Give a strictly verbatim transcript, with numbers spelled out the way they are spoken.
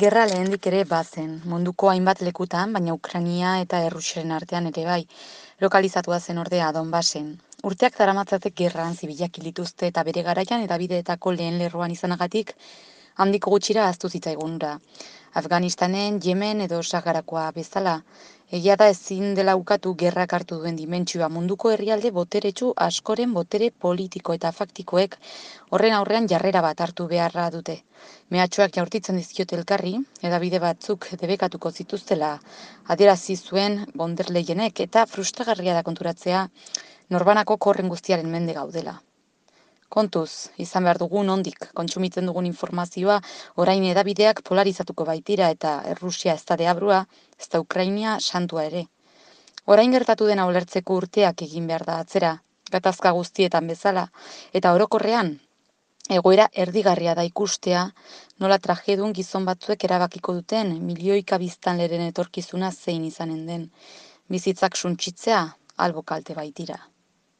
Gerra lehendik ere bazen, munduko hainbat lekutan, baina Ukraina eta Errusiaren artean ere bai, lokalizatua zen ordea Donbasen. Urteak daramatzatek gerran zibilak hil dituzte eta bere garaian eta bideetako lehen lerroan izanagatik handiko gutxira ahaztu zitzaigun hura. Afganistanen, Yemen edo Saharakoa bezala, egia da ezin dela ukatu gerrak hartu duen dimentsioa munduko herrialde boteretsu askoren botere politiko eta faktikoek horren aurrean jarrera bat hartu beharra dute. Mehatxuak jaurtitzen dizkiote elkarri, hedabide batzuk debekatuko zituztela adierazi zuen von der Leyenek eta frustragarria da konturatzea norbanako korren guztiaren mende gaudela. Kontuz, izan behar dugun nondik kontsumitzen dugun informazioa orain hedabideak polarizatuko baitira eta Errusia ez da deabrua, ez da Ukrainia santua ere. Orain gertatu dena ulertzeko urteak egin behar da atzera, gatazka guztietan bezala, eta orokorrean, egoera erdigarria da ikustea, nola trajedun gizon batzuek erabakiko duten milioika biztanleren etorkizuna zein izanen den. Bizitzak suntsitzea, albo kalte baitira.